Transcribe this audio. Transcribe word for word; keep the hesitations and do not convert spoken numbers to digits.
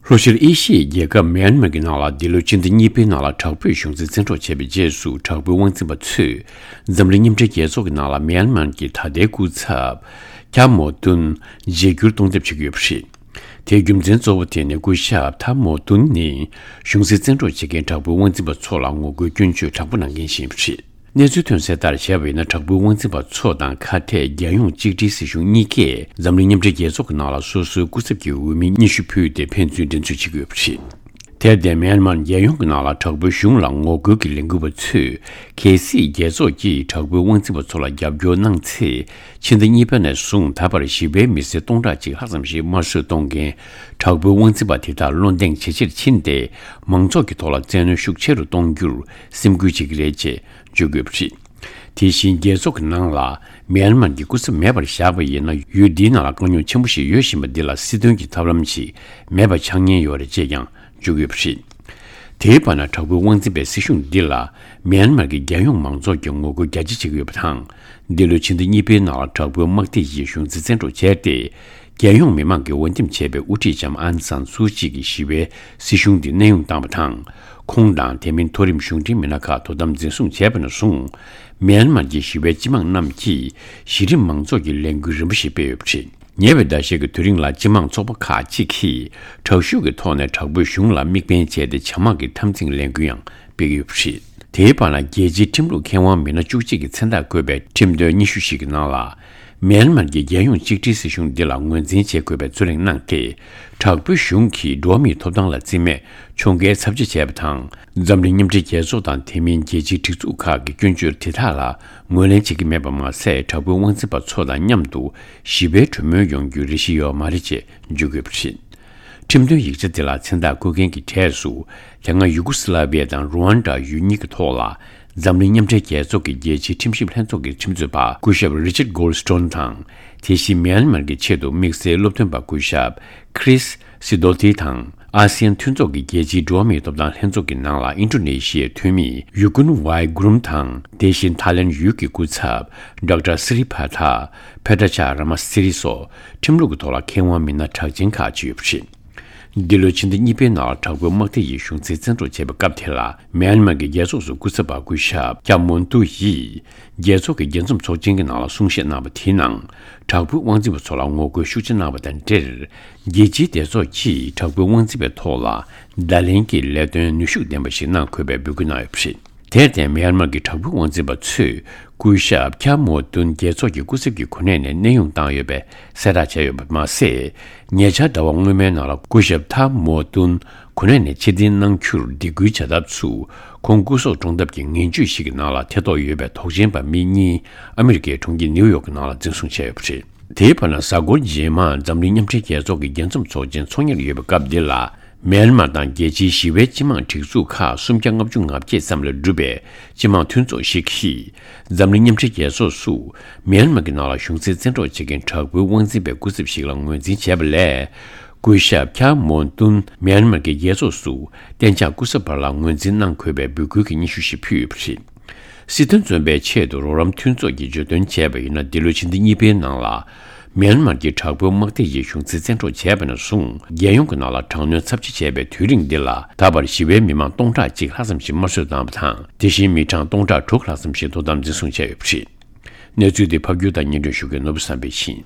ལྷོ་ཤར་ཨེ་ཤི་ཡའི་རྒྱལ་ཁབ་མེན་མར་གྱི་ནང་ལ་འདི་ལོའི་ཕྱི་ཟླ་གཉིས་པའི་ནང་ལ་དྲག་པོས་གཞུང་འཛིན་བཙན་འཕྲོག་བྱས་པའི་རྗེས་སུ། དྲག་པོའི་དབང་འཛིན་པ་ཚོས་འཛམ་གླིང་མཉམ་འབྲེལ་རྒྱལ་ཚོགས་ཀྱི་ནང་ལ་མེན་མར་གྱི་ད་ལྟའི་སྐུ་ཚབ་ཁྱ་མོ་ཏུན་བརྗེ་བསྒྱུར་གཏོང་ཐབས་བྱེད་ཀྱི་ཡོད་པ་རེད། དེའི་རྒྱུ་མཚན་གཙོ་བོ་དེ་ནི་སྐུ་ཞབས་ཐ་མོ་ཏུན་ནི་གཞུང་འཛིན་བཙན་འཕྲོག་བྱེད་མཁན་དྲག་པོའི་དབང་འཛིན་པ་ཚོ་ལ་ངོ་རྒོལ་སྐྱོན་བརྗོད་དྲག་པོ་གནང་མཁན་ཞིག་ཡིན་པ་རེད། གནས་ཚུལ་ཐོན་གསལ་ལྟར་བྱས་པ་ཡིན་ན། དྲག་པོའི་དབང་འཛིན་པ་ཚོ་དང་ཁ་གཏད་རྒྱལ་ཡོངས་གཅིག་སྒྲིལ་སྲིད་གཞུང་གཉིས་ཀས་འཛམ་གླིང་མཉམ་འབྲེལ་རྒྱལ་ཚོགས་ཀྱི་ནང་ལ་སོ་སོའི་སྐུ་ཚབ་ཀྱི་འོས་མི་ཉི་ཤུ་ཕུལ་ཏེ་ཕན་ཚུན་འགྲན་རྩོད་བྱེད་ཀྱི་ཡོད་པ་རེད། དེར་བརྟེན། མེན་མར་རྒྱལ་ཡོངས་ཀྱི་ནང་ལ་དྲག་པོའི་གཞུང་ལ་ངོ་རྒོལ་གྱི་ལས་འགུལ་བ་ཚོས། གལ་སྲིད་རྒྱལ་ཚོགས་ཀྱིས་དྲག་པོའི་དབང་འཛིན་པ་ཚོ་ལ་རྒྱབ་སྐྱོར་གནང་ཚེ། ཕྱི་ཟླ་གཉིས་པ་ནས་བཟུང་ད་བར་ཞི་བའི་མི་སེར་སྟོང་ཕྲག་གཅིག་ལྷག་ཙམ་ཞིག་དམར་གསོད་གཏོང་མཁན་དྲག་པོའི་དབང་འཛིན་པ་དེ་དག་བློ་གདེང་ཇེ་ཆེར་ཕྱིན་ཏེ། མང་ཚོགས་ཀྱི་ཐོག་ལ་བཙན་གནོན་ཤུགས་ཆེ་རུ་གཏོང་རྒྱུར་སེམས་ཁུར་བྱེད་ཀྱི་རེད་ཅེས་བརྗོད་དགོས་པ་རེད། དེ་བཞིན་རྒྱལ་ཚོགས་ཀྱི་ནང་ལ་མེན་མར་གྱི་སྐུ་ཚབ་མེད་པར་བཞག་པ་ཡིན་ན། ཡུལ་འདིའི་ནང་ལ་དཀའ་རྙོག་ཆེན་པོ་ཞིག་ཡོད་བཞིན་པ་འདི་ལ་སྲིད་དོན་གྱི་ཐབས་ལམ་ཞིག་མེད་པ་ཆགས་ཉེན་ཡོད་རེད་ཅེས་ཀྱང་བརྗོད་ཀྱི་ཡོད་པ་རེད། དེའི་བར་ན། དྲག་པོའི་དབང་འཛིན་པའི་སྲིད་གཞུང་འདི་ལ་མེན་མར་གྱི་རྒྱལ་ཡོངས་མང་ཚོགས་ཀྱིས་ངོ་རྒོལ་རྒྱ་ཆེ་བྱེད་ཀྱི་ཡོད་པ་དང་། འདི་ལོའི་ཕྱི་ཟླ་གཉིས་པའི་ནང་ལ་དྲག་པོའི་དམག་སྡེ་ཡིས་གཞུང་འཛིན་བཙན་འཕྲོག་བྱས་ཏེ། རྒྱལ་ཡོངས་མི་མང་གིས་འོས་འདེམས་བྱས་པའི་དབུ་ཁྲིད་ལྕམ་ཨང་སན་སུའུ་ཅི་གི་ཞི་བའི་སྲིད་གཞུང་འདི་གནས་དབྱུང་བཏང་བ་དང་། ཁོང་དང་དེ་མིན་མཐོ་རིམ་གཞུང་འབྲེལ་མི་སྣ་ཁག་དོ་དམ་འཛིན་བཟུང་བྱས་པ་ནས་བཟུང་། མེན་མར་གྱི་ཞི་བའི་སྤྱི་དམངས་རྣམས་ཀྱིས་གཞི་རིམ་མང་ཚོགས་ཀྱི་ལས་འགུལ་རིམ་པ་ཞིག་སྤེལ་ཡོད་པ་རེད། ཉེ་བའི་ཟླ་ཤས་ཀྱི་དུས་རིང་ལ་སྤྱི་དམངས་ཚོགས་པ་ཁག་ཅིག་གིས་དྲག་ཤུགས་ཀྱི་ཐོག་ནས་དྲག་པོའི་གཞུང་ལ་དམིགས་འབེན་བྱས་ཏེ་བྱ་དམག་གི་འཐབ་འཛིང་ལས་འགུལ་ཡང་སྤེལ་གྱི་ཡོད་པ་རེད། དེའི་བར་ན། རྒྱལ་སྤྱིའི་ཁྲིམས་ལུགས་མཁས་དབང་མི་སྣ་བཅུ་གཅིག་གི་མཚན་རྟགས་བཀོད་པའི་ཁྲིམས་དོན་སྙན་ཞུ་ཞིག་གི་ནང་ལ། མེན་མར་གྱི་རྒྱལ་ཡོངས་གཅིག་སྒྲིལ་སྲིད་གཞུང་འདི་ལ་ངོས་འཛིན་བྱེད་དགོས་པའི་རྩོད་གླེང་གནང་སྟེ། དྲག་པོའི་གཞུང་གིས་འགྲོ་བ་མིའི་ཐོབ་ཐང་ལ་བརྩི་མེད་ཕྱོགས་འགལ་ཚབས་ཆེ་བྱས་པ་དང་། འཛམ་གླིང་མཉམ་འབྲེལ་རྒྱལ་ཚོགས་དང་དེ་མིན་རྒྱལ་སྤྱིའི་སྒྲིག་འཛུགས་ཁག་གི་སྐྱོན་བརྗོད་དེ་དག་ལ་ངོས་ལེན་བྱེད་ཀྱི་མེད་པ་མ་ཟད། དྲག་པོའི་དབང་འཛིན་པ་ཚོ་དང་མཉམ་དུ་ཞི་བའི་གྲོས་མོལ་ཡོང་རྒྱུའི་རེ་ཞིག་ཡོད་མ་རེད་ཅེས་བརྗོད་དགོས་པ་རེད། ཁྲིམས་དོན་ཡིག་ཆ་དེ་ལ་མཚན་རྟགས་བཀོད་མཁན་གྱི་གྲས་སུ། དེ་སྔ་ཡུ་གུ་སི་ལ་བི་ཡ་དང་རུ་ཝན་ཌ་ཡུལ་གཉིས་ཀྱི་ཐོག་ལ་འཛམ་གླིང་མཉམ་འབྲེལ་རྒྱལ་ཚོགས་ཀྱི་རྒྱལ་སྤྱིའི་ཁྲིམས་ཞིབ་ལྷན་ཚོགས་ཀྱི་ཁྲིམས་རྩོད་པ་སྐུ་ཞབས་རི་ཅར་གོལ་སི་ཊོན་དང་། དེ་བཞིན་མེན་མར་གྱི་ཆེད་དུ་དམིགས་བསལ་སློབ་སྟོན་པ་སྐུ་ཞབས་ཁྲིས་སི་དོ་ཏི་དང་། ཨ་སི་ཡན་མཐུན་ཚོགས་ཀྱི་རྒྱལ་སྤྱིའི་འགྲོ་བ་མིའི་ཐོབ་ཐང་ལྷན་ཚོགས་ཀྱི་ནང་ལ་ཨིན་ཌོ་ནེ་ཤི་ཡའི་འཐུས་མི་ཡུ་ཀུན་ཝའི་གུ་རུམ་དང་། དེ་བཞིན་ཐའི་ལེན་ཡུལ་གྱི་སྐུ་ཚབ་ཌོག་ཊར་སི་རི་བྷ་ཐ་ཕེ་ཏྲ་ཆ་ར་མ་སི་རི་སོགས་ཁྲིམས་ལུགས་ཀྱི་ཐོག་ལ་མཁས་དབང་མི་སྣ་གྲགས་ཅན་ཁག་ཅིག་ཡོད་པ་རེད། འདི་ལོའི་ཕྱི་ཟླ་གཉིས་པའི་ནང་ལ་དྲག་པོའི་དམག་སྡེ་ཡིས་གཞུང་འཛིན་བཙན་འཕྲོག་བྱས་པའི་སྐབས་དེ་ལ། མེན་མར་གྱི་རྒྱལ་ཚོགས་སུ་སྐུ་ཚབ་པ་སྐུ་ཞབས་ཀྱ་མོན་ཏུ་ཡིས་རྒྱལ་ཚོགས་ཀྱི་རྒྱལ་འཛོམས་ཚོགས་ཆེན་གྱི་ནང་ལ་གསུང་བཤད་གནང་བ་དེའི་ནང་། དྲག་པོའི་དབང་འཛིན་པ་ཚོ་ལ་ངོ་རྒོལ་ཤུགས་ཆེ་གནང་བ་དང་འབྲེལ། རྒྱལ་སྤྱིའི་སྡེ་ཚོགས་ཀྱིས་དྲག་པོའི་དབང་འཛིན་པའི་ཐོག་ལ་བརྡ་ལན་གྱི་ལས་དོན་ནུས་ཤུགས་ལྡན་པ་ཞིག་གནང་དགོས་པའི་འབོད་སྐུལ་གནང་ཡོད་པ་རེད། དེར་བརྟེན། མེན་མར་གྱི་དྲག་པོའི་དབང་འཛིན་པ་ཚོས་སྐུ་ཞབས་ཁྱ་མོ་ཏུན་རྒྱལ་ཚོགས་ཀྱི་སྐུ་ཚབ་ཀྱི་གོ་གནས་ནས་གནས་དབྱུང་བཏང་ཡོད་པའི་གསལ་བསྒྲགས་བྱས་ཡོད་པ་མ་ཟད། ཉེ་ཆར་ཟླ་བ་སྔོན་མའི་ནང་ལ་སྐུ་ཞབས་ཐ་མོ་ཏུན་གོ་གནས་ནས་ཕྱིར་འཐེན་གནང་རྒྱུར་སྡིགས་སྐུལ་བྱ་ཐབས་སུ། ཁོང་སྐུ་སྲོག་བཀྲོངས་ཐབས་ཀྱི་ངན་ཇུས་ཤིག་གི་ནང་ལ་ཐེ་གཏོགས་ཡོད་པའི་དོགས་ཅན་པ་མི་གཉིས་ཨ་མི་རི་ཀའི་གྲོང་ཁྱེར་ནིའུ་ཡོག་གི་ནང་ལ་འཛིན་བཟུང་བྱས་ཡོད་པ་རེད། དེའི་བར་ན། གཟའ་འཁོར་རྗེས་མར་འཛམ་གླིང་མཉམ་འབྲེལ་རྒྱལ་ཚོགས་ཀྱི་རྒྱལ་འཛོམས་ཚོགས་ཆེན་འཚོགས་ཉེར་ཡོད་པའི་སྐབས་འདི་ལ། མེན་མར་དང་རྒྱལ་སྤྱིའི་ཞི་བའི་སྤྱི་དམངས་སྒྲིག་འཛུགས་ཁག་སུམ་བརྒྱ་ལྔ་བཅུ་ང་བརྒྱད་ཙམ་ལས་གྲུབ་པའི་སྤྱི་དམངས་མཐུན་ཚོགས་ཤིག་གིས། འཛམ་གླིང་མཉམ་འབྲེལ་རྒྱལ་ཚོགས་སུ་མེན་མར་གྱི་ནང་ལ་གཞུང་འཛིན་བཙན་འཕྲོག་བྱེད་མཁན་དྲག་པོའི་དབང་འཛིན་པའི་སྐུ་ཚབ་ཞིག་ལ་ངོས་འཛིན་བྱས་པ་ལས། སྐུ་ཞབས་ཁྱ་མོན་ཏུན་མེན་མར་གྱི་རྒྱལ་ཚོགས་སུ་གཏན་འཇགས་སྐུ་ཚབ་པ་ལ་ངོས་འཛིན་གནང་དགོས་པའི་འབོད་སྐུལ་གྱི་སྙན་ཞུ་ཞིག་ཕུལ་ཡོད་པ་རེད། སྲིད་དོན་བཙོན་པའི་ཆེད་དུ་རོགས་རམ་མཐུན་ཚོགས་ཀྱིས་བརྗོད་དོན་བྱས་པ་ཡིན་ན། འདི་ལོའི་ཕྱི་ཟླ་གཉིས་པའི་ནང་ལ། མེན་མར་གྱི་དྲག་པོའི་དམག་སྡེ་ཡིས་གཞུང་འཛིན་བཙན་འཕྲོག་བྱས་པ་ནས་བཟུང་། རྒྱལ་ཡོངས་ཀྱི་ནང་ལ་དྲག་གནོན་ཚབས་ཆེ་བྱས་པའི་དུས་རིང་འདི་ལ། ད་བར་ཞི་བའི་མི་མང་སྟོང་ཕྲག་གཅིག་ལྷག་ཙམ་ཞིག་དམར་གསོད་བཏང་བ་དང་། དེ་བཞིན་མི་གྲངས་སྟོང་ཕྲག་དྲུག་ལྷག་ཙམ་ཞིག་དོ་དམ་འཛིན་བཟུང་བྱས་ཡོད་པ་རེད། གནས་ཚུལ་འདི་ཕབ་སྒྱུར་དང་སྙན་སྒྲོན་ཞུ་མཁན་ནོར་བུ་བསམ་འཕེལ་ཡིན།